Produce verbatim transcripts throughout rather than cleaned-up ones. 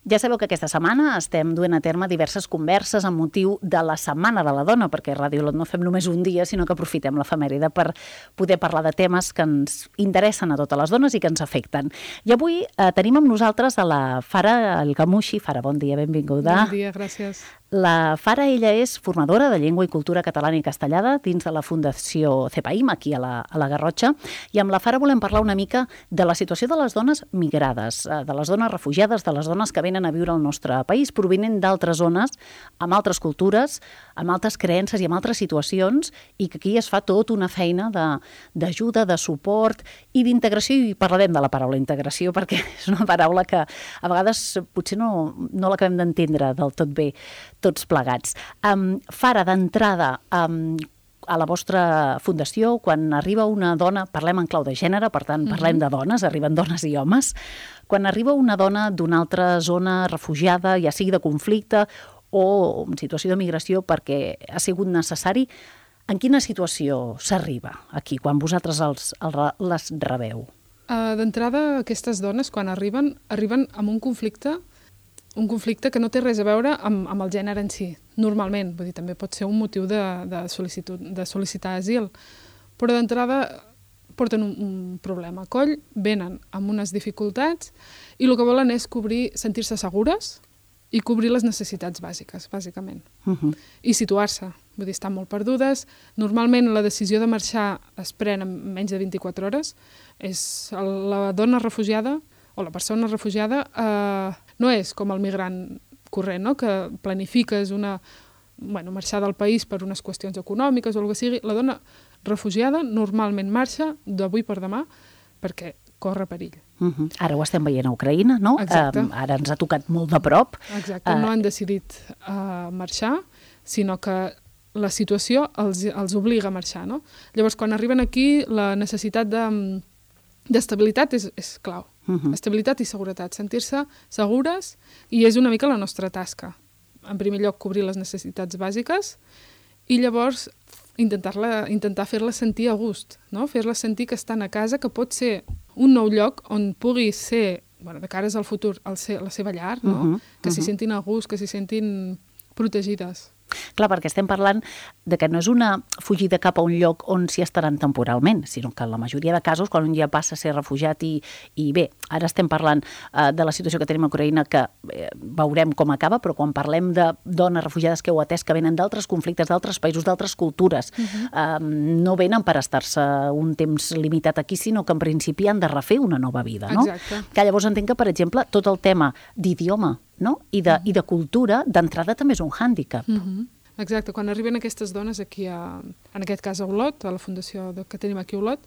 Ja sabeu que aquesta setmana estem duent a terme diverses converses amb motiu de la Setmana de la Dona, perquè a Ràdio Olot no fem només un dia, sinó que aprofitem l'efemèride per poder parlar de temes que ens interessen a totes les dones i que ens afecten. I avui eh, tenim amb nosaltres a la Fara El Gamushi. Fara, bon dia, benvinguda. Bon dia, gràcies. La Fara, ella és formadora de llengua i cultura catalana i castellana dins de la Fundació CEPAIM, aquí a la, a la Garrotxa, i amb la Fara volem parlar una mica de la situació de les dones migrades, de les dones refugiades, de les dones que venen a viure al nostre país, provinent d'altres zones, amb altres cultures, amb altres creences i amb altres situacions, i que aquí es fa tot una feina d'ajuda, de, de suport i d'integració, i parlarem de la paraula integració, perquè és una paraula que a vegades potser no, no l'acabem d'entendre del tot bé, tots plegats. Um, Fara, d'entrada, um, a la vostra fundació, quan arriba una dona, parlem en clau de gènere, per tant, parlem de dones, arriben dones i homes, quan arriba una dona d'una altra zona refugiada, ja sigui de conflicte o en situació de migració perquè ha sigut necessari, en quina situació s'arriba aquí, quan vosaltres els, els, les rebeu? Uh, D'entrada, aquestes dones, quan arriben, arriben amb un conflicte un conflicte que no té res a veure amb, amb el gènere en si, normalment. Vull dir, també pot ser un motiu de, de, sol·licitud, de sol·licitar asil. Però d'entrada porten un, un problema a coll, venen amb unes dificultats i el que volen és cobrir, sentir-se segures i cobrir les necessitats bàsiques, bàsicament. Uh-huh. I situar-se. Vull dir, estan molt perdudes. Normalment la decisió de marxar es pren en menys de vint-i-quatre hores. És la dona refugiada o la persona refugiada eh, no és com el migrant corrent, no? Que planifiques una, bueno, marxar del país per unes qüestions econòmiques o el que sigui. La dona refugiada normalment marxa d'avui per demà perquè corre perill. Uh-huh. Ara ho estem veient a Ucraïna, no? Exacte. Um, ara ens ha tocat molt de prop. Exacte, no han decidit uh, marxar, sinó que la situació els, els obliga a marxar, no? Llavors, quan arriben aquí, la necessitat de, d'estabilitat és, és clau. Uh-huh. Estabilitat i seguretat, sentir-se segures, i és una mica la nostra tasca. En primer lloc, cobrir les necessitats bàsiques i llavors intentar-la, intentar fer-les sentir a gust, no? Fer-les sentir que estan a casa, que pot ser un nou lloc on pugui ser, bueno, de cares al futur, el ser, la seva llar, no? Uh-huh. Que uh-huh. s'hi sentin a gust, que s'hi sentin protegides. Clar, perquè estem parlant de que no és una fugida cap a un lloc on s'hi estaran temporalment, sinó que en la majoria de casos, quan un ja passa a ser refugiat i, i bé, ara estem parlant uh, de la situació que tenim a Ucraïna, que eh, veurem com acaba, però quan parlem de dones refugiades que heu atès, que venen d'altres conflictes, d'altres països, d'altres cultures, uh-huh. uh, no venen per estar-se un temps limitat aquí, sinó que en principi han de refer una nova vida, no? Exacte. Que llavors entenc que, per exemple, tot el tema d'idioma, no? I, de, uh-huh. i de cultura, d'entrada també és un hàndicap. Uh-huh. Exacte, quan arriben aquestes dones aquí, a, en aquest cas a Olot, a la fundació de, que tenim aquí a Olot,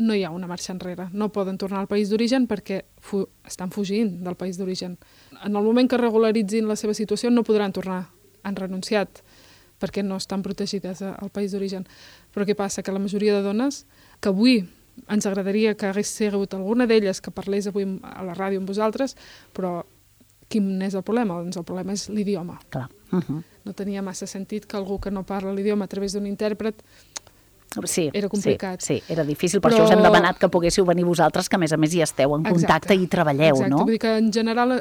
no hi ha una marxa enrere. No poden tornar al país d'origen perquè fu, estan fugint del país d'origen. En el moment que regularitzin la seva situació no podran tornar. Han renunciat perquè no estan protegides al país d'origen. Però què passa? Que la majoria de dones, que avui ens agradaria que hagués sigut alguna d'elles que parlés avui a la ràdio amb vosaltres, però quin és el problema? Doncs el problema és l'idioma. Clar. Uh-huh. No tenia massa sentit que algú que no parla l'idioma a través d'un intèrpret sí, era complicat. Sí, sí, era difícil, per Però... això us hem demanat que poguéssiu venir vosaltres, que a més a més hi esteu en contacte. Exacte. I treballeu, Exacte. no? Vull dir que en general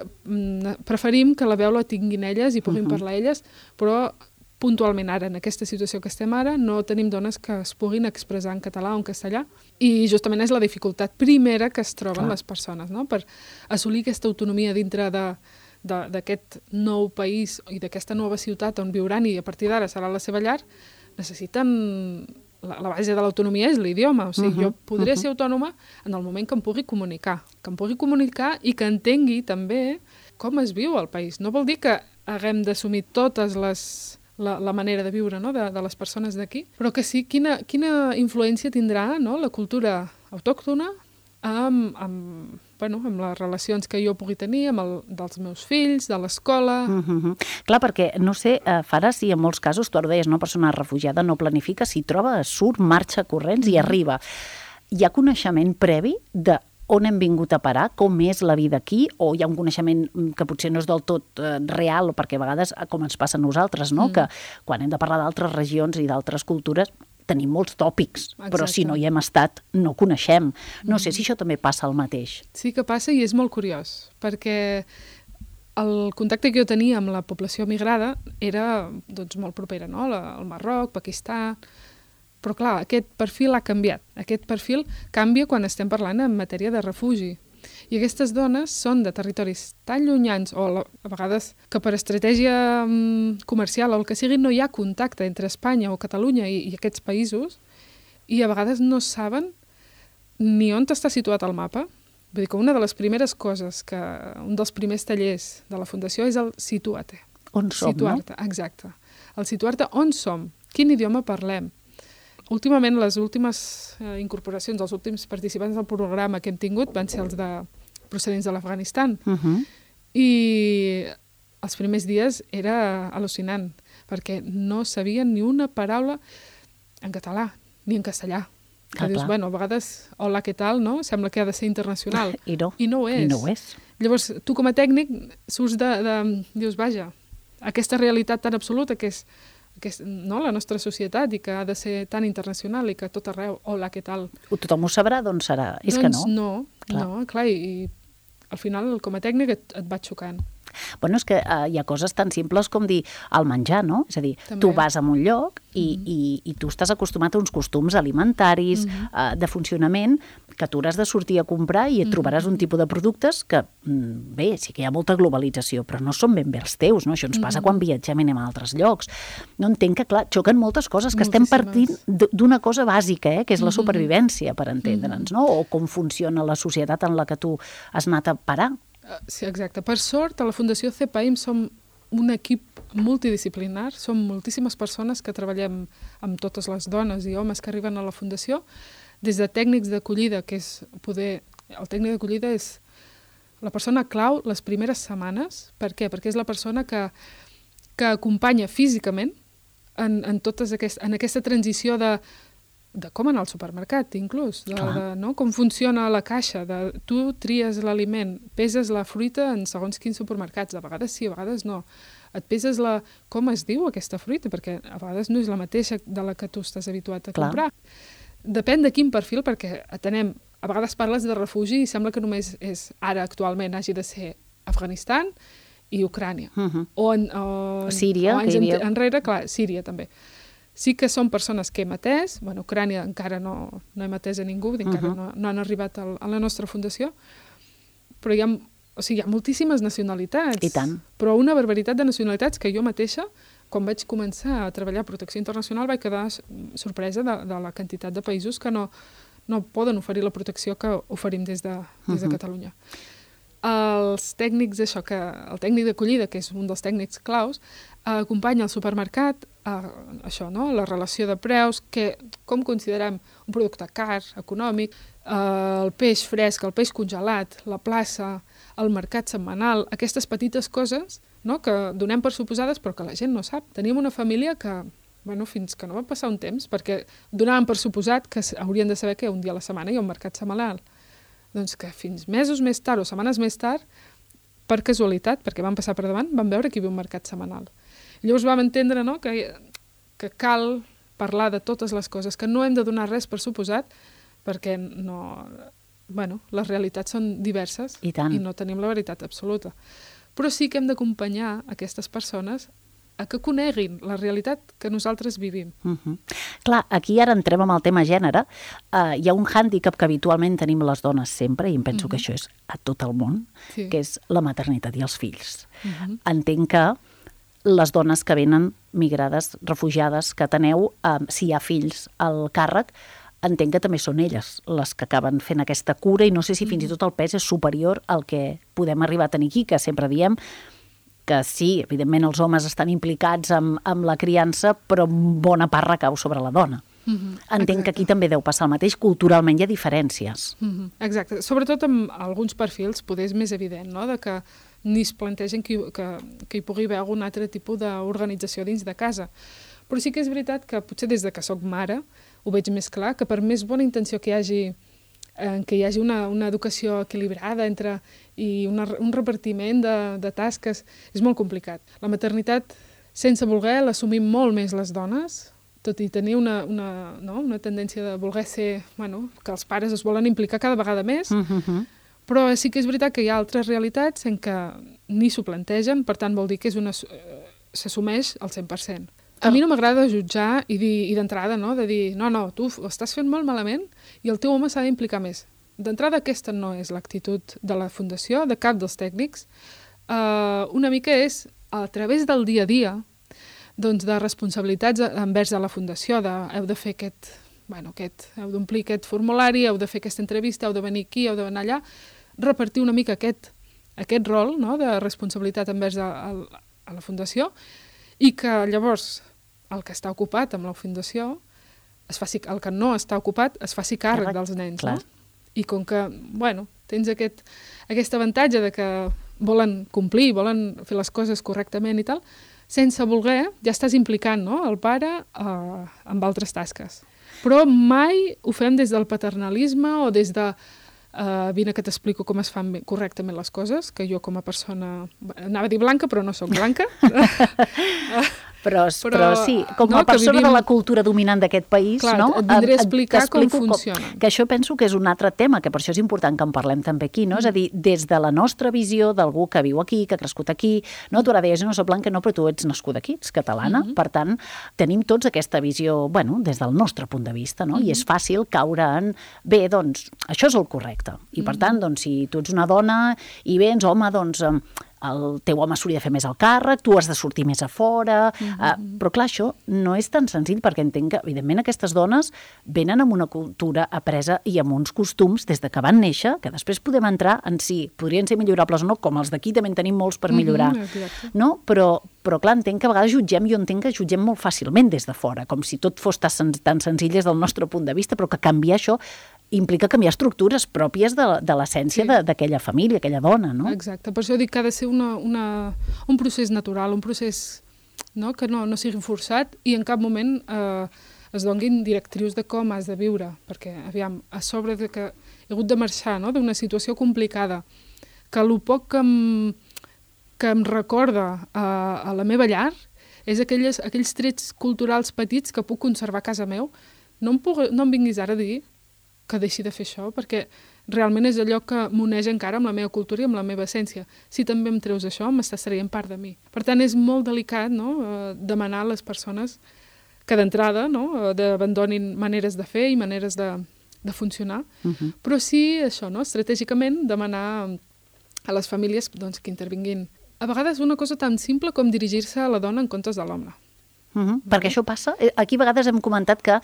preferim que la veu la tinguin elles i puguin uh-huh. parlar elles, però puntualment ara, en aquesta situació que estem ara, no tenim dones que es puguin expressar en català o en castellà, i justament és la dificultat primera que es troben Clar. Les persones, no? Per assolir aquesta autonomia dintre de d'aquest nou país i d'aquesta nova ciutat on viuran i a partir d'ara serà la seva llar, necessiten... La, la base de l'autonomia és l'idioma. O sigui, uh-huh, jo podré uh-huh. ser autònoma en el moment que em pugui comunicar. Que em pugui comunicar i que entengui també com es viu al país. No vol dir que haguem d'assumir totes les... La, la manera de viure, no? de, de les persones d'aquí, però que sí, quina, quina influència tindrà, no? La cultura autòctona amb, amb, bueno, amb les relacions que jo pugui tenir amb el, dels meus fills, de l'escola... Uh-huh. Clar, perquè, no sé, eh, Fara, si en molts casos, tu ara deies, una persona refugiada no planifica, si troba, surt, marxa corrents i arriba. Hi ha coneixement previ de on hem vingut a parar, com és la vida aquí, o hi ha un coneixement que potser no és del tot eh, real, perquè a vegades, com ens passa a nosaltres, no? Mm. Que quan hem de parlar d'altres regions i d'altres cultures, tenim molts tòpics, Exacte. Però si no hi hem estat, no coneixem. No mm. sé si això també passa el mateix. Sí que passa i és molt curiós, perquè el contacte que jo tenia amb la població migrada era doncs, molt propera, no? El Marroc, Pakistan... Però clar, aquest perfil ha canviat. Aquest perfil canvia quan estem parlant en matèria de refugi. I aquestes dones són de territoris tan llunyans, o a vegades que per estratègia comercial o el que sigui no hi ha contacte entre Espanya o Catalunya i, i aquests països, i a vegades no saben ni on està situat el mapa. Vull dir que una de les primeres coses, que un dels primers tallers de la Fundació és el situar-te. On som, situar-te, no? Exacte. El situar-te on som, quin idioma parlem. Últimament, les últimes eh, incorporacions, els últims participants del programa que hem tingut van ser els de procedents de l'Afganistan. Uh -huh. I els primers dies era al·lucinant, perquè no sabien ni una paraula en català, ni en castellà. Que ah, dius, clar. bueno, a vegades, hola, què tal, no? Sembla que ha de ser internacional. I no. I no ho és. I no ho és. Llavors, tu com a tècnic surts de... de dius, vaja, aquesta realitat tan absoluta que és que no, la nostra societat i que ha de ser tan internacional i que a tot arreu, hola, què tal? Tothom ho sabrà, doncs serà. És doncs que no. no, clar. no, clar, i, i al final com a tècnic et, et va xocant. Bueno, és que uh, hi ha coses tan simples com dir el menjar, no? És a dir, També. tu vas a un lloc i, Mm-hmm. i, i tu estàs acostumat a uns costums alimentaris, Mm-hmm. uh, de funcionament, que tu hauràs de sortir a comprar i et trobaràs Mm-hmm. un tipus de productes que, mm, bé, sí que hi ha molta globalització, però no són ben bé els teus, no? Això ens passa Mm-hmm. quan viatgem i anem a altres llocs. No entenc que, clar, xoquen moltes coses, que estem partint Moltíssimes. d'una cosa bàsica, eh? Que és la Mm-hmm. supervivència, per entendre'ns, no? O com funciona la societat en la que tu has anat a parar. Sí, exacte. Per sort, a la Fundació CEPAIM som un equip multidisciplinar, som moltíssimes persones que treballem amb totes les dones i homes que arriben a la Fundació, des de tècnics d'acollida, que és poder... El tècnic d'acollida és la persona clau les primeres setmanes. Per què? Perquè és la persona que, que acompanya físicament en, en, totes aquest, en aquesta transició de de com anar al supermercat, inclús, de, de, no? Com funciona la caixa, de tu tries l'aliment, peses la fruita en segons quins supermercats, a vegades sí, a vegades no. Et peses la... com es diu aquesta fruita, perquè a vegades no és la mateixa de la que tu estàs habituat a Clar. comprar. Depèn de quin perfil, perquè atenem, a vegades parles de refugi i sembla que només és ara, actualment, hagi de ser Afganistan i Ucrània. Uh -huh. O, en, o, Síria, o anys que hi havia... enrere, clar, Síria també. Sí que són persones que hem atès, bueno, Ucrània encara no, no hem atès a ningú, uh -huh. encara no, no han arribat al, a la nostra fundació, però hi ha, o sigui, hi ha moltíssimes nacionalitats. I tant. Però una barbaritat de nacionalitats que jo mateixa, quan vaig començar a treballar a Protecció Internacional, vaig quedar sorpresa de, de la quantitat de països que no, no poden oferir la protecció que oferim des de, des de Uh-huh. Catalunya. Els tècnics, això, que el tècnic d'acollida, que és un dels tècnics claus, acompanya al supermercat a, això, no? La relació de preus, que, com considerem un producte car, econòmic, eh, el peix fresc, el peix congelat, la plaça, el mercat setmanal, aquestes petites coses, no? Que donem per suposades però que la gent no sap. Teníem una família que, bueno, fins que no va passar un temps, perquè donàvem per suposat que haurien de saber que un dia a la setmana hi ha un mercat setmanal. Doncs que fins mesos més tard o setmanes més tard, per casualitat, perquè van passar per davant, vam veure que hi havia un mercat setmanal. Llavors vam entendre, no?, que, que cal parlar de totes les coses, que no hem de donar res per suposat, perquè no, bueno, les realitats són diverses I tant. i no tenim la veritat absoluta. Però sí que hem d'acompanyar aquestes persones a que coneguin la realitat que nosaltres vivim. Uh -huh. Clar, aquí ara entrem amb el tema gènere. Uh, hi ha un hàndicap que habitualment tenim les dones sempre, i em penso uh -huh. que això és a tot el món, Sí. que és la maternitat i els fills. Uh -huh. Entenc que les dones que venen migrades, refugiades, que teneu, uh, si hi ha fills al càrrec, entenc que també són elles les que acaben fent aquesta cura, i no sé si fins i tot el pes és superior al que podem arribar a tenir aquí, que sempre diem que sí, evidentment els homes estan implicats amb, amb la criança, però bona part recau sobre la dona. Uh -huh. Entenc Exacte. que aquí també deu passar el mateix, culturalment hi ha diferències. Uh -huh. Exacte, sobretot amb alguns perfils poder és més evident, no?, de que ni es plantegen que, que, que hi pugui haver algun altre tipus d'organització dins de casa. Però sí que és veritat que potser des de que sóc mare ho veig més clar, que per més bona intenció que hi hagi, eh, que hi hagi una, una educació equilibrada entre, i una, un repartiment de, de tasques, és molt complicat. La maternitat, sense voler, l'assumim molt més les dones, tot i tenir una, una, no? una tendència de voler ser, bueno, que els pares es volen implicar cada vegada més, Uh -huh. Però sí que és veritat que hi ha altres realitats en què ni s'ho plantegen, per tant vol dir que és una s'assumeix al cent per cent. A mi no m'agrada jutjar i, dir, i d'entrada, no? De dir, no, no, tu ho estàs fent molt malament i el teu home s'ha d'implicar més. D'entrada aquesta no és l'actitud de la Fundació, de cap dels tècnics. Uh, una mica és, a través del dia a dia, doncs de responsabilitats envers de la Fundació, de heu de fer aquest, bueno, aquest, heu d'omplir aquest formulari, heu de fer aquesta entrevista, heu de venir aquí, heu de venir allà, repartir una mica aquest, aquest rol, no?, de responsabilitat envers a, a, a la Fundació, i que llavors el que està ocupat amb la Fundació, es faci, el que no està ocupat, es faci càrrec dels nens, clar. No? I com que, bueno, tens aquest, aquest avantatge de que volen complir, volen fer les coses correctament i tal, sense voler, ja estàs implicant, no?, el pare eh, amb altres tasques. Però mai ho fem des del paternalisme o des de uh, vine que t'explico com es fan correctament les coses, que jo com a persona, anava a dir blanca, però no sóc blanca. Però, però, però sí, com a no, persona vivim... de la cultura dominant d'aquest país, clar, no? et vindré a explicar com funciona. Com, que això penso que és un altre tema, que per això és important que en parlem també aquí, no? Mm. És a dir, des de la nostra visió d'algú que viu aquí, que ha crescut aquí, no? Tu ara deies, no soc blanca, no, però tu ets nascuda aquí, ets catalana, mm-hmm. Per tant, tenim tots aquesta visió, bueno, des del nostre punt de vista, no? Mm-hmm. I és fàcil caure en, bé, doncs, això és el correcte. I per mm-hmm. tant, doncs, si tu ets una dona i vens, home, doncs... el teu home s'hauria de fer més al càrrec, tu has de sortir més a fora, mm-hmm. uh, però clar, això no és tan senzill perquè entenc que, evidentment, aquestes dones venen amb una cultura apresa i amb uns costums des de que van néixer, que després podem entrar en si podrien ser millorables o no, com els d'aquí també en tenim molts per millorar, mm-hmm, no? Però, però clar, entenc que a vegades jutgem, jo entenc que jutgem molt fàcilment des de fora, com si tot fos tan, tan senzill des del nostre punt de vista, però que canviar això implica canviar estructures pròpies de, de l'essència sí. d'aquella família, aquella dona, no? Exacte, per això dic que ha de ser una, una, un procés natural, un procés, no?, que no, no sigui forçat i en cap moment eh, es donguin directrius de com has de viure, perquè, aviam, a sobre de que he hagut de marxar, no?, d'una situació complicada, que el poc que em, que em recorda a, a la meva llar és aquelles, aquells trets culturals petits que puc conservar a casa meu, no em, puc, no em vinguis ara a dir que deixi de fer això, perquè realment és allò que m'uneix encara amb la meva cultura i amb la meva essència. Si també em treus això, m'estàs traient part de mi. Per tant, és molt delicat, no?, eh, demanar a les persones que d'entrada, no?, d'abandonin maneres de fer i maneres de, de funcionar, uh-huh. Però sí, això, no?, estratègicament demanar a les famílies, doncs, que intervinguin. A vegades una cosa tan simple com dirigir-se a la dona en comptes de l'home. Uh -huh. Perquè això passa, aquí a vegades hem comentat que,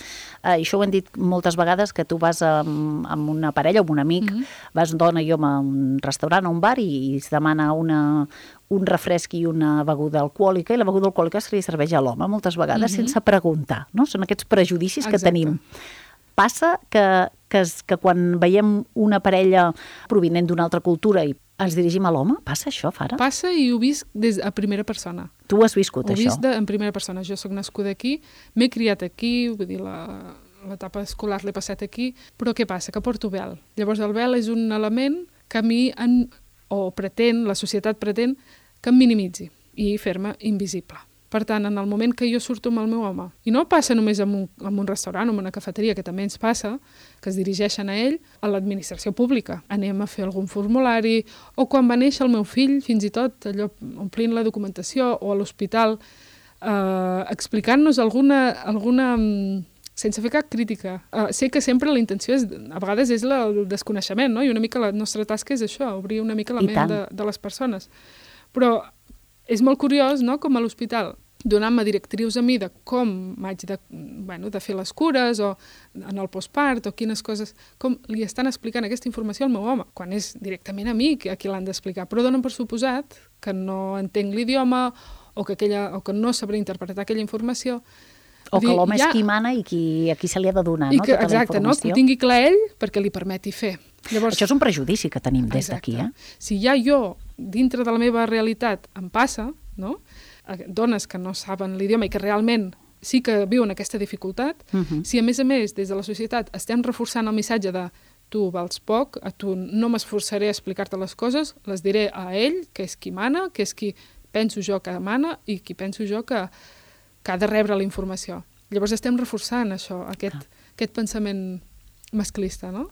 eh, i això ho hem dit moltes vegades, que tu vas amb, amb una parella o amb un amic, uh -huh. vas dona i home a un restaurant o un bar i, i es demana una, un refresc i una beguda alcohòlica i la beguda alcohòlica se li serveix a l'home moltes vegades uh -huh. sense preguntar, no? Són aquests prejudicis Exacte. Que tenim. Passa que, que, que quan veiem una parella provinent d'una altra cultura i ens dirigim a l'home? Passa això, Fara? Passa i ho visc des a primera persona. Tu ho has viscut, ho això? Ho visc de, en primera persona. Jo sóc nascuda aquí, m'he criat aquí, vull dir, la, l'etapa escolar l'he passat aquí, però què passa? Que porto vel. Llavors el vel és un element que a mi, en, o pretén, la societat pretén, que em minimitzi i fer-me invisible. Per tant, en el moment que jo surto amb el meu home, i no passa només en un, en un restaurant o en una cafeteria, que també ens passa, que es dirigeixen a ell, a l'administració pública. Anem a fer algun formulari, o quan va néixer el meu fill, fins i tot allò, omplint la documentació, o a l'hospital, eh, explicant-nos alguna, alguna, sense fer cap crítica. Eh, sé que sempre la intenció, és, a vegades, és la, el desconeixement, no? I una mica la nostra tasca és això, obrir una mica la I ment de, de les persones. Però és molt curiós, no?, com a l'hospital, donant-me directrius a mi de com m'haig de, bueno, de fer les cures o en el postpart o quines coses, com li estan explicant aquesta informació al meu home, quan és directament a mi a qui l'han d'explicar, però donen per suposat que no entenc l'idioma o que, aquella, o que no sabré interpretar aquella informació. O que l'home ja... és qui mana i qui, a qui se li ha de donar, I no? Que, tota exacte, la informació. No? Que ho tingui clar ell perquè li permeti fer. Llavors, això és un prejudici que tenim des d'aquí, eh? Si ja jo, dintre de la meva realitat, em passa, no?, dones que no saben l'idioma i que realment sí que viuen aquesta dificultat, uh-huh. si a més a més des de la societat estem reforçant el missatge de tu vals poc, a tu no m'esforçaré a explicar-te les coses, les diré a ell, que és qui mana, que és qui penso jo que mana i qui penso jo que, que ha de rebre la informació. Llavors estem reforçant això, aquest, ah. aquest pensament masclista, no?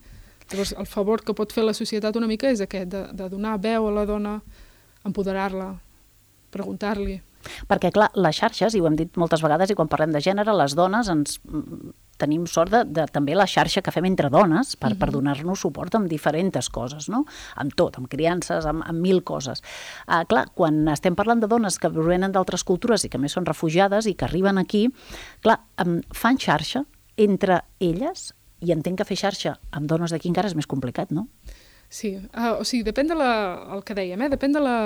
Llavors, el favor que pot fer la societat una mica és aquest, de, de donar veu a la dona, empoderar-la, preguntar-li. Perquè, clar, les xarxes, i ho hem dit moltes vegades, i quan parlem de gènere, les dones ens tenim sort de, de també la xarxa que fem entre dones per, uh-huh. per donar-nos suport amb diferents coses, no? Amb tot, amb criances, amb, amb mil coses. Uh, clar, quan estem parlant de dones que provenen d'altres cultures i que més són refugiades i que arriben aquí, clar, um, fan xarxa entre elles, i entenc que fer xarxa amb dones d'aquí encara és més complicat, no? Sí, uh, o sigui, depèn de la, el que dèiem, eh? Depèn de la...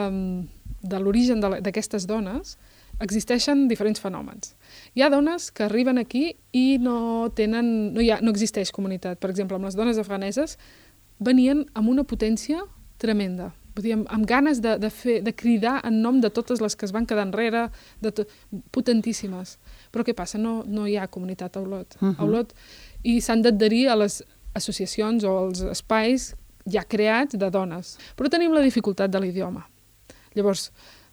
de l'origen d'aquestes dones, existeixen diferents fenòmens. Hi ha dones que arriben aquí i no tenen, no, hi ha, no existeix comunitat. Per exemple, amb les dones afganeses venien amb una potència tremenda, vull dir, amb, amb ganes de, de, fer, de cridar en nom de totes les que es van quedar enrere, de to, potentíssimes. Però què passa? No, no hi ha comunitat a Olot. Uh-huh. A Olot i s'han d'adherir a les associacions o als espais ja creats de dones. Però tenim la dificultat de l'idioma. Llavors,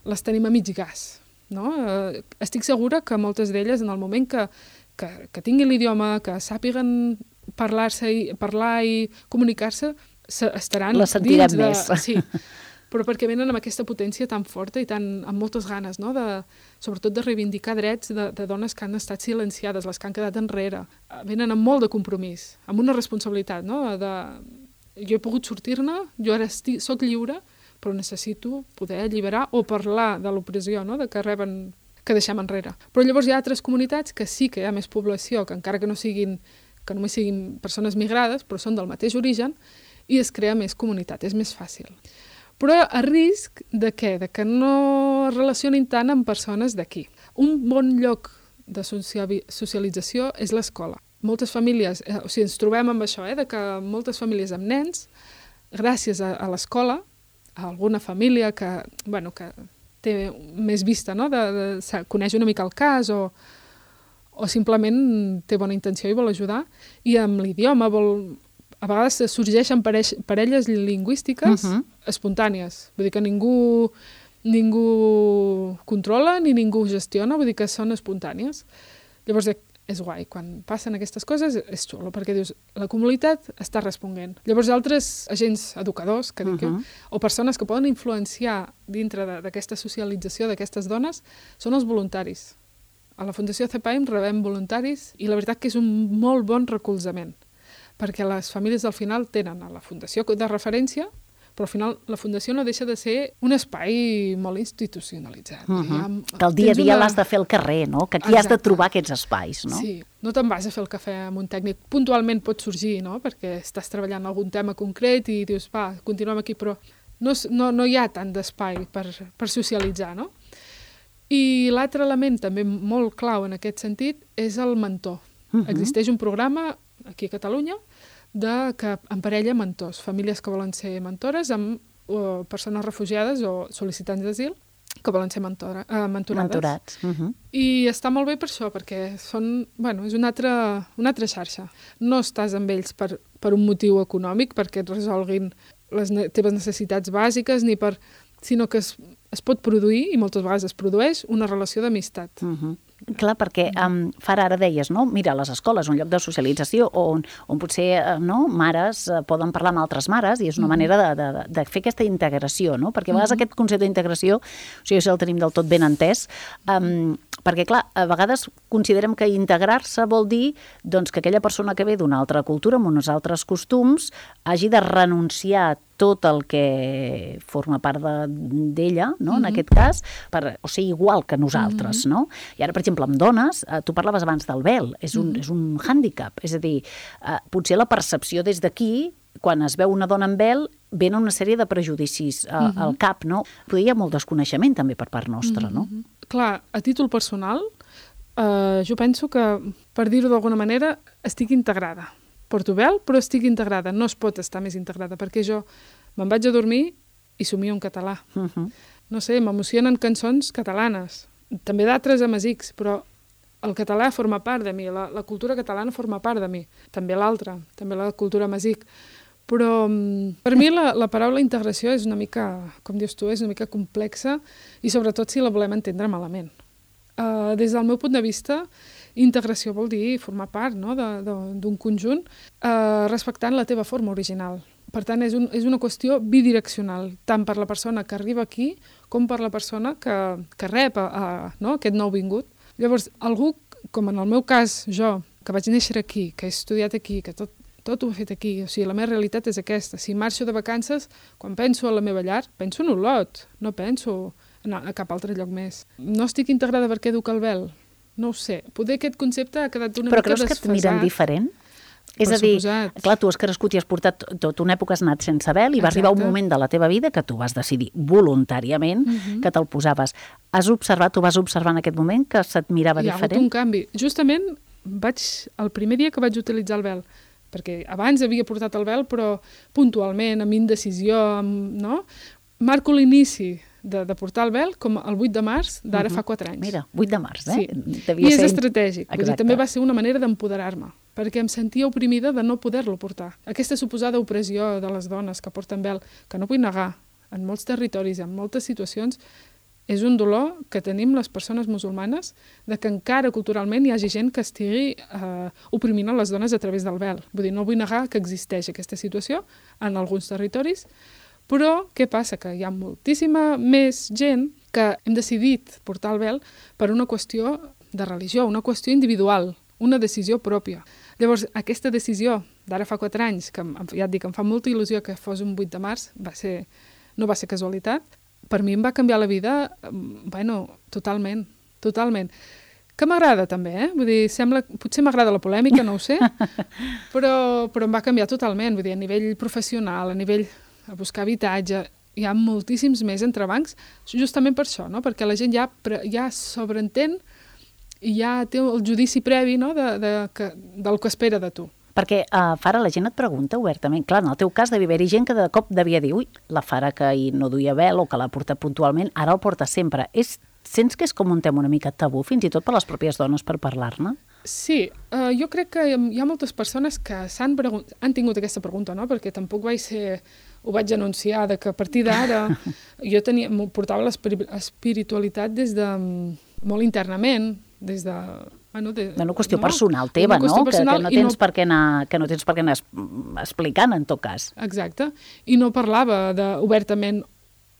les tenim a mig gas, no? Eh, estic segura que moltes d'elles, en el moment que, que, que tinguin l'idioma, que sàpiguen parlar-se i, parlar i comunicar-se, estaran les sentiran dins de... més. Sí, però perquè venen amb aquesta potència tan forta i tan, amb moltes ganes, no? De, sobretot de reivindicar drets de, de dones que han estat silenciades, les que han quedat enrere. Venen amb molt de compromís, amb una responsabilitat, no? De, jo he pogut sortir-ne, jo ara estic, soc lliure, però necessito poder alliberar o parlar de l'opressió, no? De que reben, que deixem enrere. Però llavors hi ha altres comunitats que sí que hi ha més població, que encara que no siguin, que només siguin persones migrades, però són del mateix origen, i es crea més comunitat, és més fàcil. Però a risc de què? De que no es relacionin tant amb persones d'aquí. Un bon lloc de socialització és l'escola. Moltes famílies, eh, o sigui, ens trobem amb això, eh, de que moltes famílies amb nens, gràcies a, a l'escola, a alguna família que, bueno, que té més vista, no? de, de, coneix una mica el cas o, o simplement té bona intenció i vol ajudar, i amb l'idioma vol... A vegades sorgeixen pareix, parelles lingüístiques uh-huh. espontànies. Vull dir que ningú, ningú controla ni ningú gestiona, vull dir que són espontànies. Llavors, és guai. Quan passen aquestes coses és xulo, perquè dius, la comunitat està responent. Llavors, altres agents educadors, que dic, uh-huh. o persones que poden influenciar dintre d'aquesta socialització d'aquestes dones, són els voluntaris. A la Fundació CEPAIM rebem voluntaris i la veritat que és un molt bon recolzament, perquè les famílies al final tenen a la Fundació de referència, però al final la Fundació no deixa de ser un espai molt institucionalitzat. Uh-huh. Ha, que el dia a dia una... l'has de fer al carrer, no? Que aquí Exacte. Has de trobar aquests espais, no? Sí, no te'n vas a fer el cafè amb un tècnic. Puntualment pot sorgir, no? Perquè estàs treballant algun tema concret i dius, va, continuem aquí, però no, no, no hi ha tant d'espai per, per socialitzar, no? I l'altre element també molt clau en aquest sentit és el mentor. Uh-huh. Existeix un programa aquí a Catalunya de que emparella mentors, famílies que volen ser mentores amb o, persones refugiades o sol·licitants d'asil que volen ser mentora, eh, mentorades. Mentorats. Uh-huh. I està molt bé per això, perquè són, bueno, és una altra, una altra xarxa. No estàs amb ells per, per un motiu econòmic, perquè et resolguin les ne- teves necessitats bàsiques, ni per, sinó que es, es pot produir, i moltes vegades es produeix, una relació d'amistat. Uh-huh. Clar, perquè um, Fara, ara deies, no? Mira, les escoles, un lloc de socialització on, on potser uh, no, mares uh, poden parlar amb altres mares i és una mm-hmm. manera de, de, de fer aquesta integració, no? Perquè a vegades mm-hmm. aquest concepte d'integració, o sigui, si el tenim del tot ben entès, um, perquè, clar, a vegades considerem que integrar-se vol dir doncs, que aquella persona que ve d'una altra cultura, amb uns altres costums, hagi de renunciar a tot el que forma part d'ella, no? Mm-hmm. En aquest cas, per, o sigui, igual que nosaltres, mm-hmm. no? I ara, per exemple, amb dones, eh, tu parlaves abans del vel, és un, mm-hmm. és un hàndicap, és a dir, eh, potser la percepció des d'aquí, quan es veu una dona amb vel, venen una sèrie de prejudicis eh, mm-hmm. al cap, no? Però hi ha molt desconeixement també per part nostra, mm-hmm. no? Clar, a títol personal, eh, jo penso que, per dir-ho d'alguna manera, estic integrada. Porto vel, però estic integrada. No es pot estar més integrada, perquè jo me'n vaig a dormir i somio en català. Uh-huh. No sé, m'emocionen cançons catalanes, també d'altres amazics, però el català forma part de mi, la, la cultura catalana forma part de mi, també l'altra, també la cultura amazic. Però per mi la, la paraula integració és una mica, com dius tu, és una mica complexa i sobretot si la volem entendre malament. Uh, des del meu punt de vista, Integració vol dir formar part, no?, d'un conjunt, eh, respectant la teva forma original. Per tant, és, un, és una qüestió bidireccional, tant per la persona que arriba aquí com per la persona que, que rep a, a, no?, aquest nou vingut. Llavors, algú, com en el meu cas, jo, que vaig néixer aquí, que he estudiat aquí, que tot, tot ho he fet aquí, o sigui, la meva realitat és aquesta. Si marxo de vacances, quan penso a la meva llar, penso en Olot, no penso a, a cap altre lloc més. No estic integrada perquè duc el vel? No ho sé. Poder aquest concepte ha quedat una Però mica desfasat. Però creus que et miren diferent? És Per a dir, suposat. clar, tu has crescut i has portat tot una època, has anat sense vel i va arribar un moment de la teva vida que tu vas decidir voluntàriament uh-huh. que te'l posaves. Has observat o vas observar en aquest moment que se't mirava Hi ha diferent? hagut un canvi. Justament vaig, el primer dia que vaig utilitzar el vel, perquè abans havia portat el vel, però puntualment, amb indecisió, amb, no? Marco l'inici de, de portar el vel com el vuit de març d'ara uh-huh. fa quatre anys. Mira, vuit de març, eh? Sí. Devia I és ser... estratègic. Vull dir, també va ser una manera d'empoderar-me, perquè em sentia oprimida de no poder-lo portar. Aquesta suposada opressió de les dones que porten vel, que no vull negar, en molts territoris, en moltes situacions, és un dolor que tenim les persones musulmanes de que encara culturalment hi hagi gent que estigui eh, oprimint a les dones a través del vel. Vull dir, no vull negar que existeix aquesta situació en alguns territoris, però què passa? Que hi ha moltíssima més gent que hem decidit portar el vel per una qüestió de religió, una qüestió individual, una decisió pròpia. Llavors, aquesta decisió d'ara fa quatre anys, que ja et dic, em fa molta il·lusió que fos un vuit de març, va ser, no va ser casualitat, per mi em va canviar la vida, bueno, totalment, totalment. Que m'agrada també, eh? Vull dir, sembla, potser m'agrada la polèmica, no ho sé, però, però em va canviar totalment, vull dir, a nivell professional, a nivell a buscar habitatge, hi ha moltíssims més entrebancs, justament per això, no? Perquè la gent ja, ja sobreentén i ja té el judici previ, no?, de, de, que, del que espera de tu. Perquè uh, Fara, la gent et pregunta obertament. Clar, en el teu cas devia haver-hi gent que de cop devia dir ui, la Fara que ahir no duia vel o que l'ha portat puntualment, ara el porta sempre. És, sents que és com un tema una mica tabú, fins i tot per les pròpies dones, per parlar-ne? Sí, uh, jo crec que hi ha moltes persones que s'han pregunt... han tingut aquesta pregunta, no?, perquè tampoc vaig ser... ho vaig anunciar, de que a partir d'ara jo tenia, portava l'espiritualitat des de molt internament, des de... Bueno, de, una qüestió no? personal teva, qüestió no? Personal, que, que, no tens no... per què anar, que no tens per què anar explicant, en tot cas. Exacte. I no parlava de, obertament,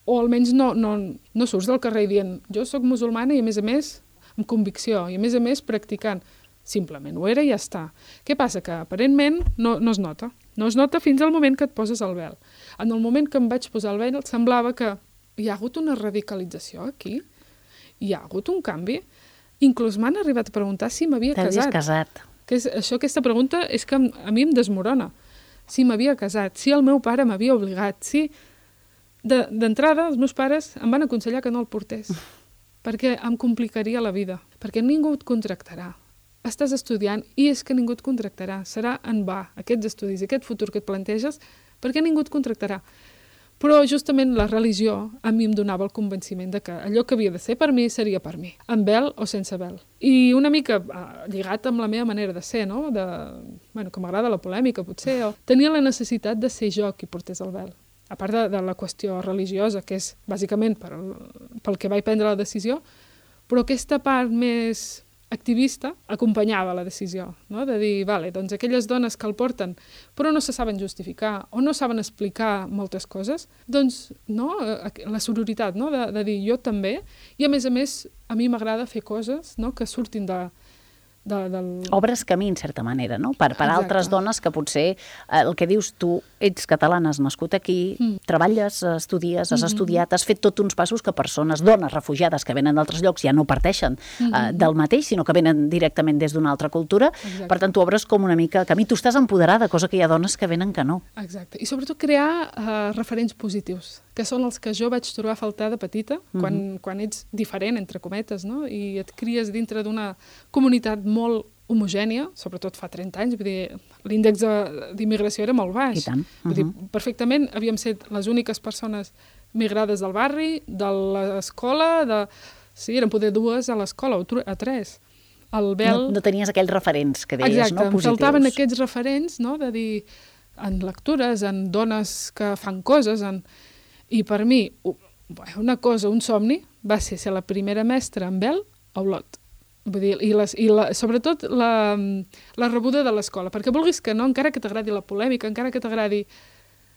o almenys no, no, no surts del carrer dient jo sóc musulmana i, a més a més, amb convicció, i, a més a més, practicant. Simplement ho era i ja està. Què passa? Que, aparentment, no, no es nota. No es nota fins al moment que et poses el vel. En el moment que em vaig posar el vel, semblava que hi ha hagut una radicalització aquí. Hi ha hagut un canvi. Inclús m'han arribat a preguntar si m'havia casat. T'havies casat. Que és, això, aquesta pregunta és que a mi em desmorona. Si m'havia casat, si el meu pare m'havia obligat, si... D'entrada, els meus pares em van aconsellar que no el portés, perquè em complicaria la vida, perquè ningú et contractarà. Estàs estudiant i és que ningú et contractarà. Serà en va, aquests estudis, aquest futur que et planteges, perquè ningú et contractarà. Però justament la religió a mi em donava el convenciment de que allò que havia de ser per mi seria per mi, amb vel o sense vel. I una mica lligat amb la meva manera de ser, no? De, bueno, que m'agrada la polèmica, potser, o tenia la necessitat de ser jo qui portés el vel. A part de, de la qüestió religiosa, que és bàsicament per, pel que vaig prendre la decisió, però aquesta part més activista acompanyava la decisió, no? De dir, vale, doncs aquelles dones que el porten però no se saben justificar o no saben explicar moltes coses, doncs no? La sororitat, no? de, de dir jo també, i a més a més a mi m'agrada fer coses, no? Que surtin de, de, del... Obres camí, en certa manera, no? Per, per altres dones que potser, eh, el que dius tu, ets catalana, has nascut aquí, mm. treballes, estudies, has mm-hmm. estudiat, has fet tots uns passos que persones, dones refugiades que venen d'altres llocs ja no parteixen mm-hmm. eh, del mateix, sinó que venen directament des d'una altra cultura. Exacte. Per tant, tu obres com una mica camí. Tu estàs empoderada, cosa que hi ha dones que venen que no. Exacte. I sobretot crear eh, referents positius, que són els que jo vaig trobar a faltar de petita, mm-hmm. quan, quan ets diferent, entre cometes, no? I et cries dintre d'una comunitat molt homogènia, sobretot fa trenta anys, vull dir, l'índex d'immigració era molt baix. I tant. Uh-huh. Vull dir, perfectament havíem set les úniques persones migrades del barri, de l'escola, de... sí, eren poder dues a l'escola, o a tres. El vel... No, no tenies aquells referents que deies, exacte, no? Positius. Exacte, em faltaven aquests referents, no? De dir, en lectures, en dones que fan coses, en... i per mi, una cosa, un somni, va ser ser la primera mestra en vel a Olot. Vull dir, i, les, i la, sobretot la, la rebuda de l'escola, perquè vulguis que no, encara que t'agradi la polèmica, encara que t'agradi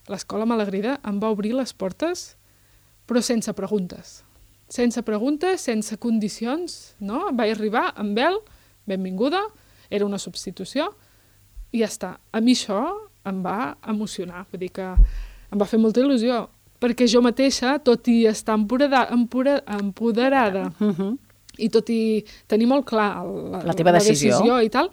l'escola Malagrida, em va obrir les portes, però sense preguntes. Sense preguntes, sense condicions, no? Vaig arribar amb ell, benvinguda, era una substitució, i ja està. A mi això em va emocionar, vull dir que em va fer molta il·lusió, perquè jo mateixa, tot i estar empoderada, empoderada Uh-huh. i tot i tenir molt clar la, La teva la decisió. decisió i tal,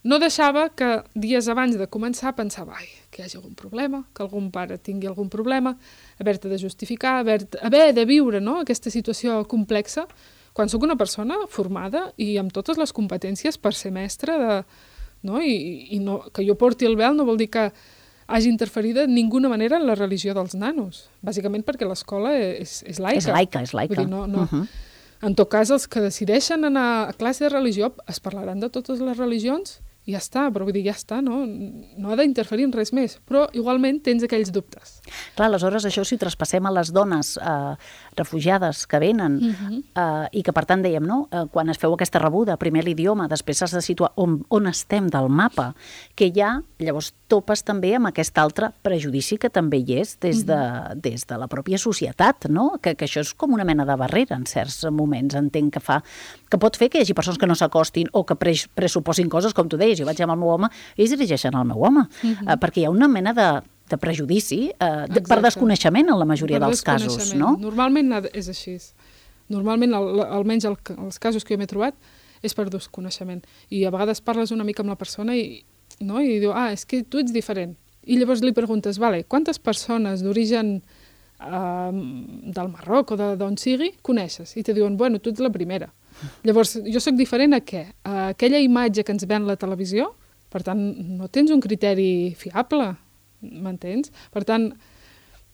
no deixava que dies abans de començar pensava, ai, que hi hagi algun problema, que algun pare tingui algun problema, haver-te de justificar, haver, haver de viure, no?, aquesta situació complexa, quan sóc una persona formada i amb totes les competències per ser mestra, de, no? I, i no, que jo porti el vel no vol dir que hagi interferit de ninguna manera en la religió dels nanos, bàsicament perquè l'escola és, és laica. És laica, és laica. Vull dir, no, no, Uh-huh. En tot cas, els que decideixen anar a classe de religió es parlaran de totes les religions i ja està, però vull dir, ja està, no, no ha d'interferir en res més, però igualment tens aquells dubtes. Clar, aleshores això si ho traspassem a les dones eh, refugiades que venen Uh-huh. eh, i que per tant dèiem, no? Eh, quan es feu aquesta rebuda, primer l'idioma, després has de situar on, on estem del mapa, que hi ha, llavors topes també amb aquest altre prejudici que també hi és des de, des de la pròpia societat, no? Que, que això és com una mena de barrera en certs moments, entenc que fa, que pot fer que hi hagi persones que no s'acostin o que pre pressuposin coses, com tu deies, jo vaig amb el meu home i es dirigeixen al meu home, uh-huh. eh, perquè hi ha una mena de, de prejudici eh, de, per desconeixement en la majoria Per dels casos, no? Normalment és així. Normalment, el, almenys el, els casos que jo m'he trobat, és per desconeixement. I a vegades parles una mica amb la persona i, no? I diu, ah, és que tu ets diferent. I llavors li preguntes, vale, quantes persones d'origen eh, del Marroc o d'on sigui coneixes? I te diuen, bueno, tu ets la primera. Llavors, jo sóc diferent a què? A aquella imatge que ens ven la televisió, per tant, no tens un criteri fiable, m'entens? Per tant,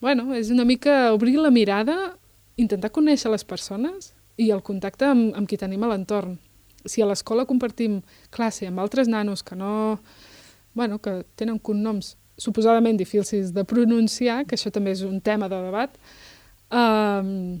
bueno, és una mica obrir la mirada, intentar conèixer les persones i el contacte amb, amb qui tenim a l'entorn. Si a l'escola compartim classe amb altres nanos que no... Bueno, que tenen cognoms suposadament difícils de pronunciar, que això també és un tema de debat, eh,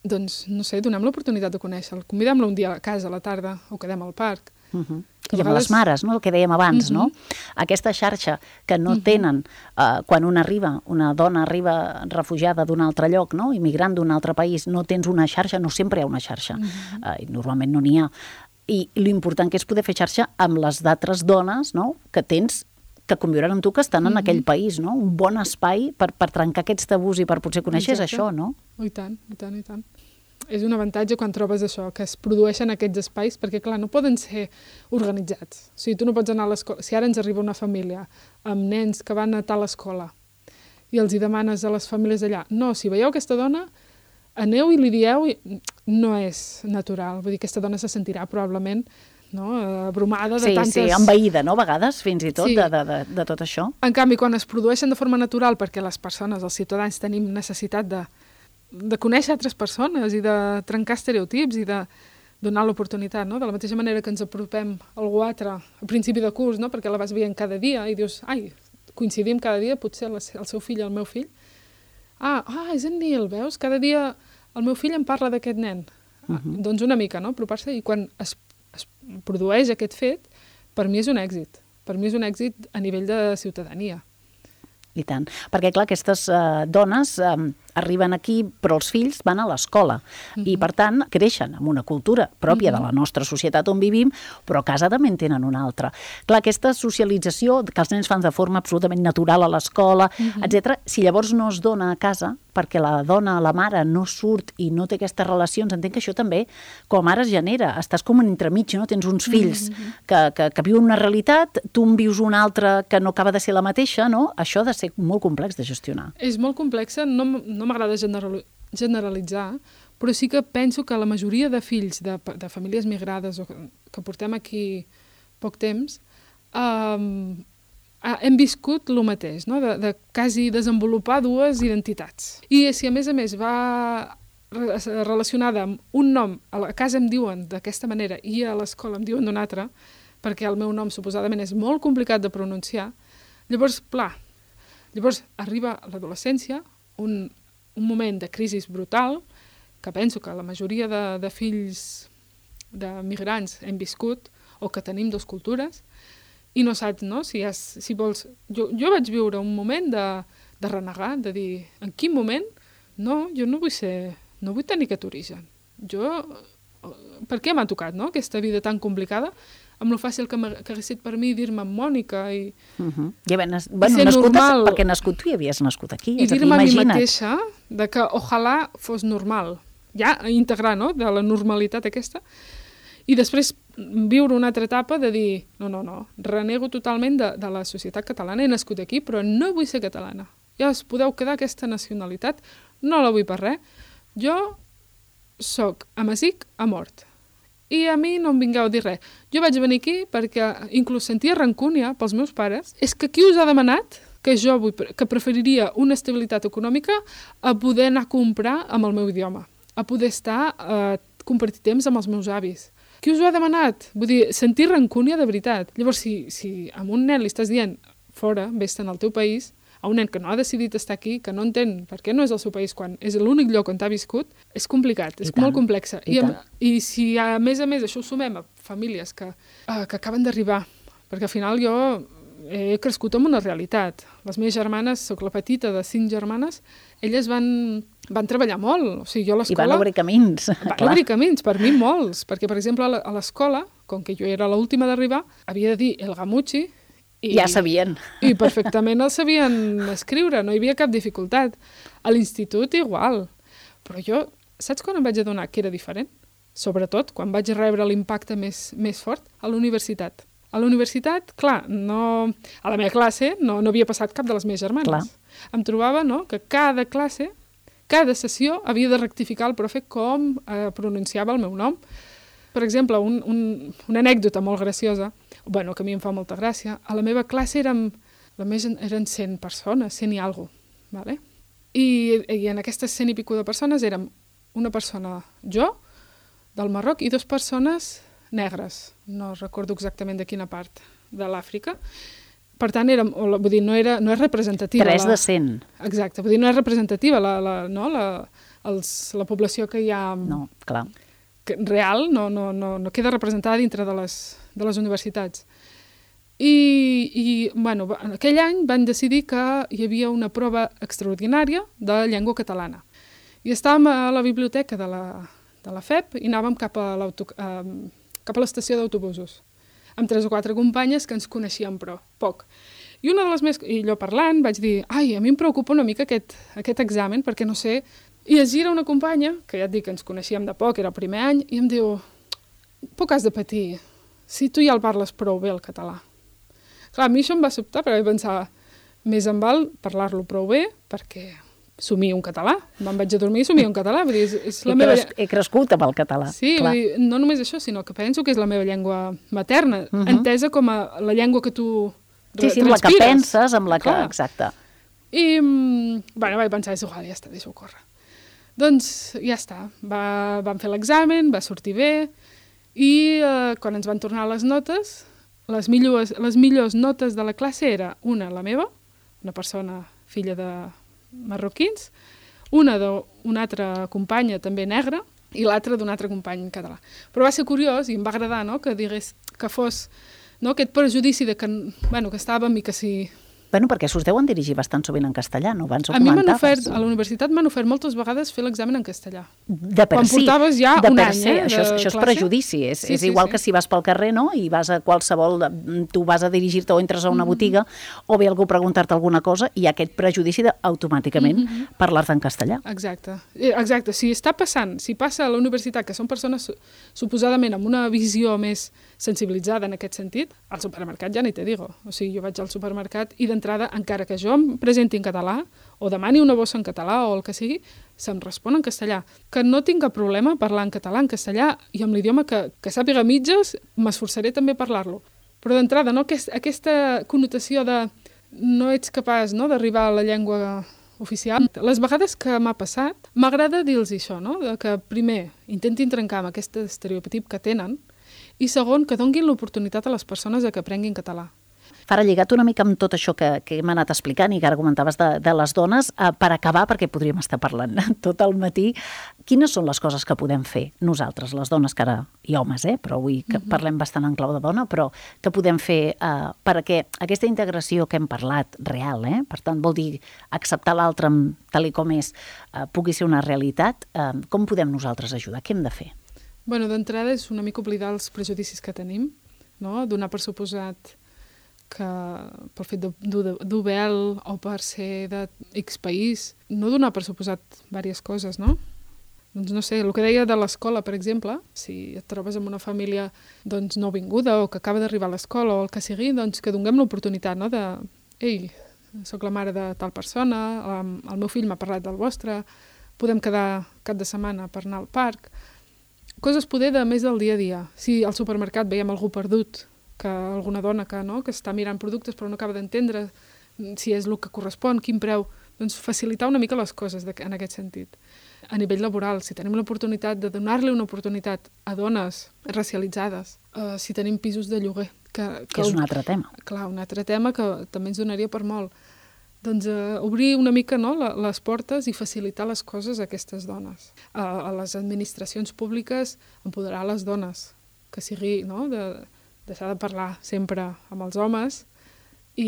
doncs, no sé, donem l'oportunitat de conèixer-lo. Convidem-lo un dia a casa, a la tarda, o quedem al parc. Uh-huh. I amb les mares, no? El que dèiem abans, uh-huh. no? Aquesta xarxa que no uh-huh. tenen uh, quan una arriba, una dona arriba refugiada d'un altre lloc, no? Immigrant d'un altre país, no tens una xarxa, no sempre hi ha una xarxa, uh-huh. uh, i normalment no n'hi ha. I l'important que és poder fer xarxa amb les d'altres dones, no? Que tens que conviuran amb tu, que estan en uh-huh. aquell país, no? Un bon espai per, per trencar aquests tabús i per potser conèixer és això, no? Oh, i tant, i tant, i tant. És un avantatge quan trobes això, que es produeixen aquests espais, perquè, clar, no poden ser organitzats. O sigui, tu no pots anar a l'escola... Si ara ens arriba una família amb nens que van a tal escola i els hi demanes a les famílies allà, no, si veieu aquesta dona, aneu i li dieu... I... No és natural. Vull dir, aquesta dona se sentirà probablement, no, abrumada de sí, tantes... Sí, envaïda, no?, a vegades, fins i tot, sí. de, de, de, de tot això. En canvi, quan es produeixen de forma natural, perquè les persones, els ciutadans, tenim necessitat de de conèixer altres persones i de trencar estereotips i de donar l'oportunitat, no? De la mateixa manera que ens apropem a algú altre a principi de curs, no? Perquè la vas veient cada dia i dius, ai, coincidim cada dia, potser el seu fill i el meu fill. Ah, ah, és en Nil, veus? Cada dia el meu fill em parla d'aquest nen. Uh-huh. Ah, doncs una mica, no? Apropar-se, i quan es, es produeix aquest fet, per mi és un èxit. Per mi és un èxit a nivell de ciutadania. I tant. Perquè, clar, aquestes uh, dones um, arriben aquí, però els fills van a l'escola. Uh-huh. I, per tant, creixen amb una cultura pròpia uh-huh. de la nostra societat on vivim, però a casa també en tenen una altra. Clar, aquesta socialització que els nens fan de forma absolutament natural a l'escola, uh-huh. etcètera, si llavors no es dona a casa, perquè la dona, la mare, no surt i no té aquestes relacions, entenc que això també, com a mare, es genera. Estàs com en entremig, no? Tens uns fills uh-huh. que, que, que viuen una realitat, tu en vius una altra que no acaba de ser la mateixa, no? Això ha de ser molt complex de gestionar. És molt complexa, no, no m'agrada generalitzar, però sí que penso que la majoria de fills de, de famílies migrades o que, que portem aquí poc temps, um, hem viscut el mateix, no? de, de quasi desenvolupar dues identitats. I si a més a més va relacionada amb un nom, a la casa em diuen d'aquesta manera i a l'escola em diuen d'una altra, perquè el meu nom suposadament és molt complicat de pronunciar, llavors, clar, llavors arriba a l'adolescència, un, un moment de crisi brutal, que penso que la majoria de, de fills de migrants hem viscut, o que tenim dues cultures, i no saps, no? Si, has, si vols... Jo, jo vaig viure un moment de, de renegar, de dir, en quin moment? No, jo no vull ser... No vull tenir aquest origen. Jo... Per què m'ha tocat, no?, aquesta vida tan complicada, amb lo fàcil que, que hagués estat per mi dir-me Mònica i... Uh -huh. I ben, bueno, i nascut normal, perquè nascut tu hi havies nascut aquí. I dir-me a mi mateixa de que ojalà fos normal. Ja integrar, no?, de la normalitat aquesta. I després viure una altra etapa de dir, no, no, no, renego totalment de, de la societat catalana, he nascut aquí, però no vull ser catalana. Ja us podeu quedar aquesta nacionalitat, no la vull per res. Jo soc amazic a mort. I a mi no em vingueu a dir res. Jo vaig venir aquí perquè inclús sentia rancúnia pels meus pares. És que qui us ha demanat que jo vull, que preferiria una estabilitat econòmica a poder anar a comprar amb el meu idioma, a poder estar a compartir temps amb els meus avis? Qui us ho ha demanat? Vull dir, sentir rancúnia de veritat. Llavors, si, si a un nen li estàs dient fora, vés-te'n al teu país, a un nen que no ha decidit estar aquí, que no entén per què no és el seu país quan és l'únic lloc on t'ha viscut, és complicat, és molt complex. I, I, I si a més a més això ho sumem a famílies que, uh, que acaben d'arribar, perquè al final jo he crescut amb una realitat. Les meves germanes, soc la petita de cinc germanes, elles van, van treballar molt. O sigui, jo a l'escola... I van obrir camins. Van clar. obrir camins, per mi molts, perquè per exemple a l'escola, com que jo era l'última d'arribar, havia de dir el gamuchi, I, ja sabien. I perfectament el sabien escriure, no hi havia cap dificultat. A l'institut igual. Però jo, saps quan em vaig adonar que era diferent? Sobretot quan vaig rebre l'impacte més, més fort? A la universitat. A la universitat, clar, no, a la meva classe no, no havia passat cap de les meves germanes. Clar. Em trobava, no?, que cada classe, cada sessió havia de rectificar el profe com eh, pronunciava el meu nom. Per exemple, un, un, una anècdota molt graciosa, bueno, que a mi em fa molta gràcia, a la meva classe érem, la més, eren cent persones, cent i alguna cosa, ¿vale? I, i en aquestes cent i pico de persones érem una persona, jo, del Marroc, i dues persones negres, no recordo exactament de quina part de l'Àfrica. Per tant, érem, vull dir, no, era, no és representativa. Tres la, de cent. Exacte, vull dir, no és representativa la, la, no, la, els, la població que hi ha... No, clar. Que, real, no, no, no, no queda representada dintre de les, de les universitats. I, i bueno, en aquell any van decidir que hi havia una prova extraordinària de llengua catalana. I estàvem a la biblioteca de la, de la F E P i anàvem cap a cap a l'estació d'autobusos, amb tres o quatre companyes que ens coneixíem, però poc. I una de les més... I jo parlant vaig dir, ai, a mi em preocupa una mica aquest, aquest examen, perquè no sé... I es gira una companya, que ja et dic que ens coneixíem de poc, era el primer any, i em diu, poc has de patir, si tu ja el parles prou bé, el català. Clar, a mi això em va sobtar, perquè vaig pensar, més em val parlar-lo prou bé, perquè somio un català. Me'n vaig a dormir i somio un català. Vull dir, és, és la he, meva... cres... he crescut amb el català. Sí, vull dir, no només això, sinó que penso que és la meva llengua materna, uh -huh. entesa com a la llengua que tu sí, sí, amb la que penses, amb la que... Clar. Exacte. I, bueno, vaig pensar, és igual, ja està, deixa-ho córrer. Doncs ja està, va, vam fer l'examen, va sortir bé, i eh, quan ens van tornar les notes, les millors, les millors notes de la classe era una, la meva, una persona filla de marroquins, una d'una altra companya també negra, i l'altra d'un altre company català. Però va ser curiós i em va agradar, no?, que digués que fos, no?, aquest prejudici de que, bueno, que estàvem i que si... Bueno, perquè s'us deuen dirigir bastant sovint en castellà, no? Abans ho a mi m'han comentaves. ofert, a la universitat m'han ofert moltes vegades fer l'examen en castellà. De per Quan si. portaves ja de un per any, si. eh, Això, de és, això és classe. prejudici. És, Sí, és sí, igual sí. que si vas pel carrer, no?, i vas a qualsevol... Tu vas a dirigir-te o entres a una botiga, o ve algú a preguntar-te alguna cosa, i hi ha aquest prejudici d'automàticament mm -hmm. parlar-te en castellà. Exacte. Eh, Exacte. Si està passant, si passa a la universitat, que són persones su- suposadament amb una visió més sensibilitzada en aquest sentit, al supermercat ja ni te digo. O sigui, jo vaig al supermercat i d'entrada, encara que jo em presenti en català, o demani una bossa en català o el que sigui, se'm respon en castellà. Que no tinc cap problema parlar en català, en castellà, i amb l'idioma que, que sàpiga mitges, m'esforçaré també a parlar-lo. Però d'entrada, no, Aquest, aquesta connotació de no ets capaç, no?, d'arribar a la llengua oficial. Les vegades que m'ha passat, m'agrada dir-los això, no?, de que primer intentin trencar amb aquest estereotip que tenen, i segon, que donguin l'oportunitat a les persones de que aprenguin català. Fara, lligat una mica amb tot això que, que hem anat explicant i que ara comentaves de, de les dones, eh, per acabar, perquè podríem estar parlant tot el matí, quines són les coses que podem fer nosaltres, les dones, que ara i homes, eh? Però avui que parlem bastant en clau de dona, però que podem fer eh, perquè aquesta integració que hem parlat real, eh? Per tant, vol dir acceptar l'altre tal i com és, eh, pugui ser una realitat, eh, com podem nosaltres ajudar? Què hem de fer? Bueno, d'entrada és una mica oblidar els prejudicis que tenim, no? Donar per suposat que pel fet dur vel o per ser de X país, no donar per suposat diverses coses, no? Doncs no sé, el que deia de l'escola, per exemple, si et trobes amb una família doncs, nouvinguda o que acaba d'arribar a l'escola o el que sigui, doncs que donem l'oportunitat, no? De, ei, soc la mare de tal persona, el meu fill m'ha parlat del vostre, podem quedar cap de setmana per anar al parc. Coses poder de més del dia a dia. Si al supermercat veiem algú perdut, que alguna dona que, no, que està mirant productes però no acaba d'entendre si és el que correspon, quin preu, doncs facilitar una mica les coses de, en aquest sentit. A nivell laboral, si tenim l'oportunitat de donar-li una oportunitat a dones racialitzades, eh, si tenim pisos de lloguer. Que, que, que és un altre tema. Clar, un altre tema que també ens donaria per molt. Doncs eh, obrir una mica, no, la, les portes i facilitar les coses a aquestes dones. A, a les administracions públiques, empoderar les dones, que sigui, no, de deixar de parlar sempre amb els homes i,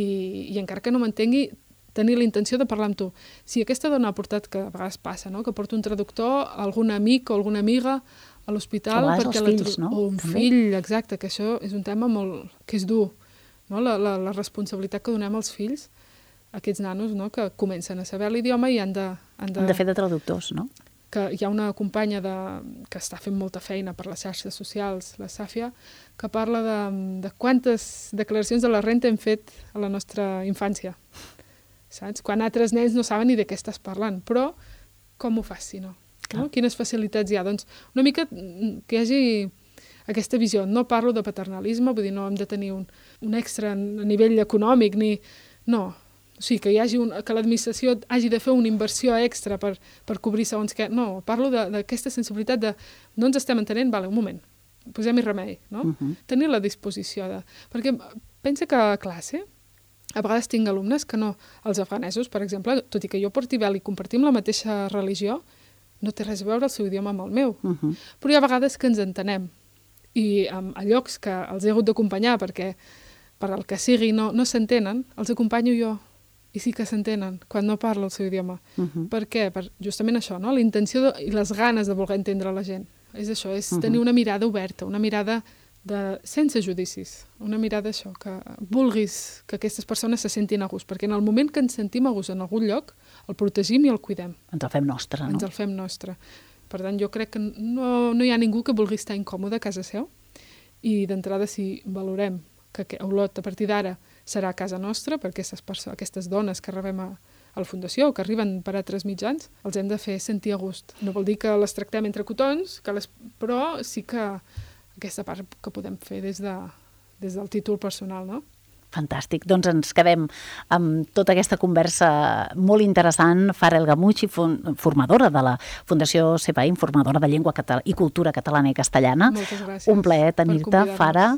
i encara que no m'entengui, tenir la intenció de parlar amb tu. Si aquesta dona ha portat, que a vegades passa, no? Que porta un traductor, algun amic o alguna amiga a l'hospital... A vegades els fills, no? O un També. fill, exacte, que això és un tema molt... que és dur, no? La, la, la responsabilitat que donem als fills, aquests nanos, no? Que comencen a saber l'idioma i han de... Han de, han de fer de traductors, no? Que hi ha una companya de, que està fent molta feina per les xarxes socials, la Sàfia, que parla de, de quantes declaracions de la renta hem fet a la nostra infància. Saps? Quan altres nens no saben ni de què estàs parlant. Però com ho fas, si no? no? Quines facilitats hi ha? Doncs una mica que hi hagi aquesta visió. No parlo de paternalisme, vull dir, no hem de tenir un, un extra a nivell econòmic, ni... No, o sigui, que hi hagi un, que l'administració hagi de fer una inversió extra per, per cobrir segons què. No, parlo d'aquesta sensibilitat de no ens estem entenent, vale, un moment, posem-hi remei, no? Uh-huh. Tenir la disposició de... Perquè pensa que a classe a vegades tinc alumnes que no... Els afganesos, per exemple, tot i que jo porti vel i compartim la mateixa religió, no té res a veure el seu idioma amb el meu. Uh-huh. Però hi ha vegades que ens entenem. I um, a llocs que els he hagut d'acompanyar perquè per al que sigui no, no s'entenen, els acompanyo jo. I sí que s'entenen quan no parla el seu idioma. Uh-huh. Per què? Per justament això, no? La intenció de, i les ganes de voler entendre la gent. És això, és uh-huh. tenir una mirada oberta, una mirada de, sense judicis, una mirada això, que vulguis que aquestes persones se sentin a gust, perquè en el moment que ens sentim a gust en algun lloc, el protegim i el cuidem. Ens el fem nostre, no? Ens el fem nostre. Per tant, jo crec que no, no hi ha ningú que vulgui estar incòmode a casa seu i d'entrada si valorem que Olot a partir d'ara serà a casa nostra, perquè aquestes, persones, aquestes dones que rebem a, a la Fundació o que arriben per altres mitjans, els hem de fer sentir a gust. No vol dir que les tractem entre cotons, que les, però sí que aquesta part que podem fer des, de, des del títol personal, no? Fantàstic. Doncs ens quedem amb tota aquesta conversa molt interessant. Fara El Gamuchi, formadora de la Fundació CEPAIM, formadora de llengua i cultura catalana i castellana. Moltes gràcies. Un plaer tenir-te, Fara.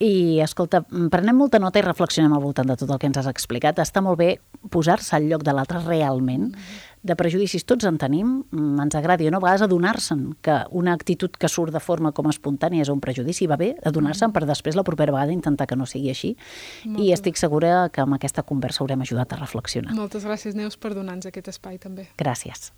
I, escolta, prenem molta nota i reflexionem al voltant de tot el que ens has explicat. Està molt bé posar-se al lloc de l'altre realment. Mm-hmm. De prejudicis tots en tenim, ens agradi o no, a vegades adonar-se'n que una actitud que surt de forma com espontània és un prejudici, va bé adonar-se'n per després la propera vegada intentar que no sigui així. Moltes. I estic segura que amb aquesta conversa haurem ajudat a reflexionar. Moltes gràcies, Neus, per donar-nos aquest espai també. Gràcies.